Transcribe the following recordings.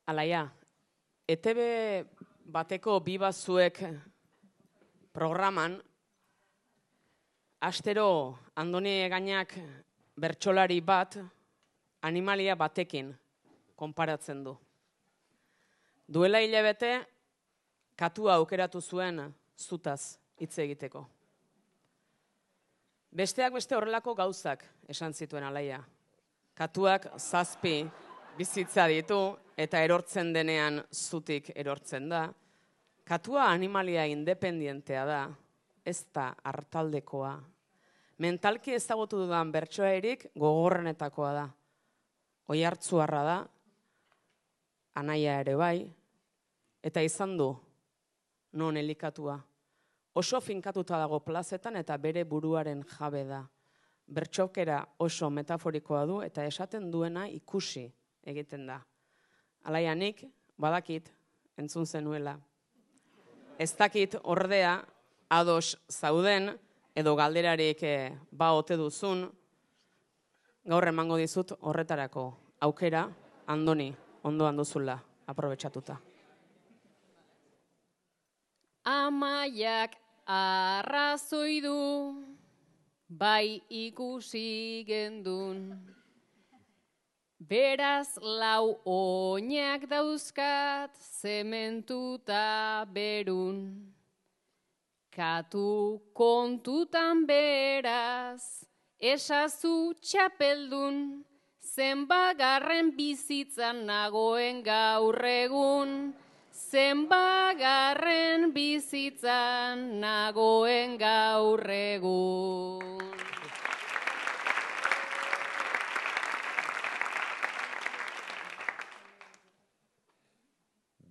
Alaia, ETB bateko bibazuek programan, astero Andoni Gainak bertsolari bat animalia batekin konparatzen du. Duela hilabete, katua aukeratu zuen zutaz hitz egiteko. Besteak beste horrelako gauzak esan zituen Alaia. Katuak 7 bizitza ditu eta erortzen denean zutik erortzen da. Katua animalia independientea da, ez da hartaldekoa. Mentalki ezagutu dudan bertsoairik gogorrenetakoa da. Oihartzuarra da, anaia ere bai, eta izan du non elikatua. Oso finkatuta dago plazetan eta bere buruaren jabe da. Bertxokera oso metaforikoa du eta esaten duena ikusi egiten da. Alaia, nik badakit entzun zenuela. Ez dakit ordea ados zauden edo galderarik ba ote duzun, gaur emango dizut horretarako aukera, Andoni, ondoan duzula, aprobetxatuta. Amaiak arrazoi du, bai ikusi gendun. Beraz 4 oinak dauzkat zementuta berun. Katu kontutan beraz, esazu txapeldun, zenbagarren bizitzan nagoen gaur egun. Zenbagarren bizitzan nagoen gaur egun.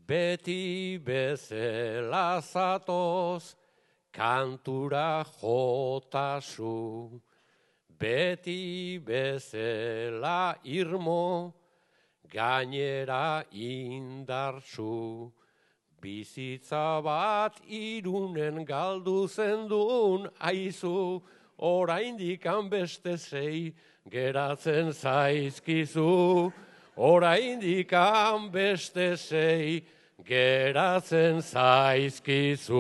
Beti bezala zatoz, kantura jotazu. Beti bezala irmo, gainera indartsu. Bizitza bat Irunen galdu zendun aizu, oraindik beste 6 geratzen zaizkizu. Oraindik beste 6 geratzen zaizkizu.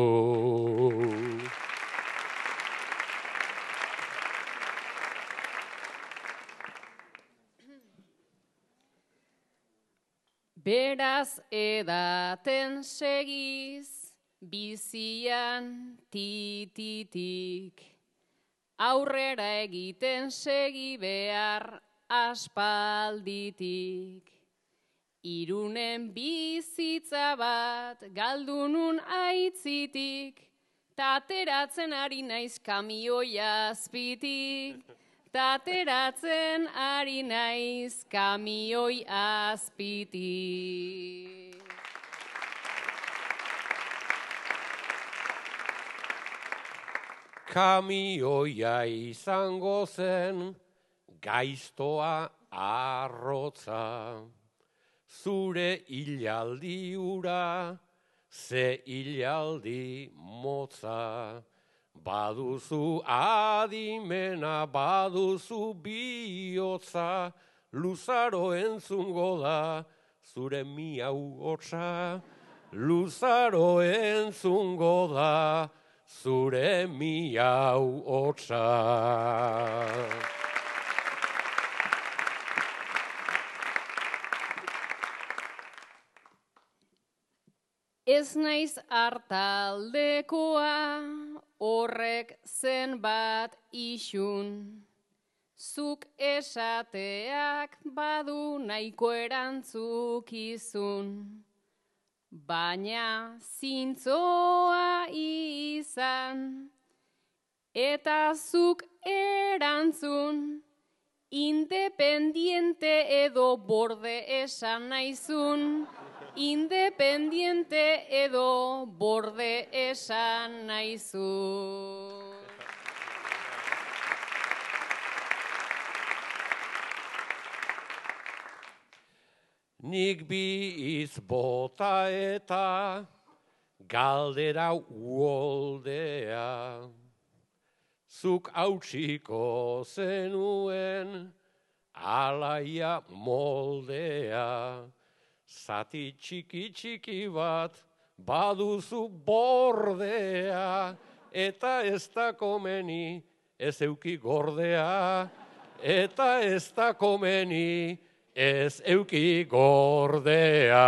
Beraz edaten segiz, bizian tititik. Aurrera egiten segi behar aspalditik. Irunen bizitza bat galdunun aitzitik, tateratzen ari naiz kamioi azpitik. Tateratzen ari naiz kamioi azpitik. Kamioia izango zen, gaiztoa arrotza. Zure hilaldi ura, ze hilaldi motza. Baduzu adimena, baduzu bihotza, luzaro entzungo da, zure miau hotza. Luzaro entzungo da, zure miau hotza. Ez naiz hartaldekoa, horrek zenbat isun. Zuk esateak badu nahiko erantzukizun. Baina zintzoa izan, eta zuk erantzun. Independiente edo borde esan naizun. Independiente edo borde esan naizu. Nik bi hitz bota eta galdera uoldea. Zuk hautsiko zenuen alaia moldea. zati txiki bat, baduzu bordea, eta ez da komeni, ez euki gordea, eta ez da komeni, ez euki gordea.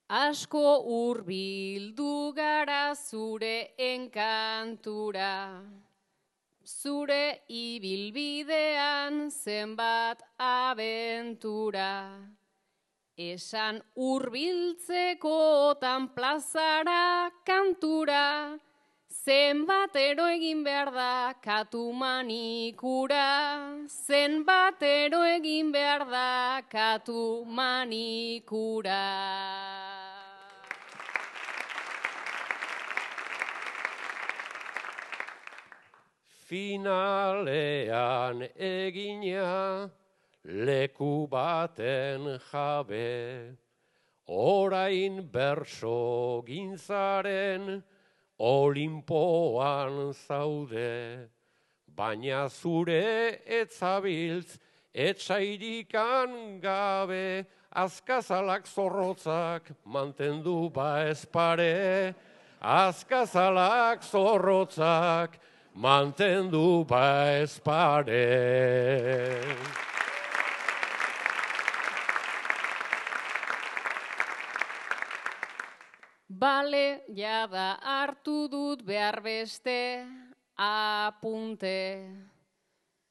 Asko hurbildu gara zure enkantura, zure ibilbidean zenbat abentura. Esan hurbiltzekotan plazara kantura, zenbatero egin behar da katu manikura, zenbatero egin behar da katu manikura. Finalean egina leku baten jabe, orain berso gintzaren Olimpoan zaude, baina zure etzabiltz etsairikan gabe, azkazalak zorrotzak mantendu baezpare, azkazalak zorrotzak mantendu baezpare. Bale, jada hartu dut behar beste apunte.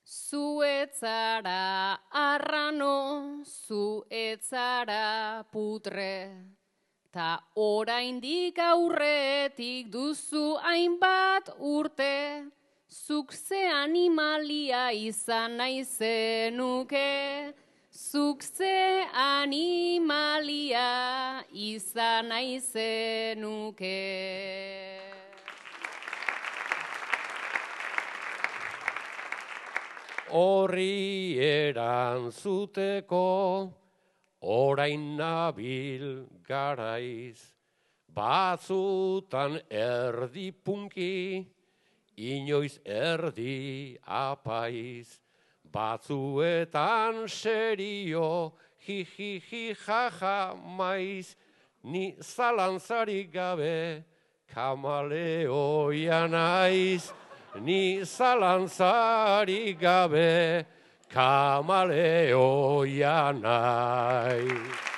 Zu etzara arrano, zu etzara putre. Ta oraindik aurretik duzu hainbat urte, zuk ze animalia izan nahi zenuke, zuk ze animalia izan nahi zenuke. Horri erantzuteko orain nabil garaiz, batzutan erdi punki, inoiz erdi apaiz, batzuetan serio, hi jaja maiz, ni zalantzarik gabe kamaleoia naiz, ni zalantzarik gabe kamaleoia naiz.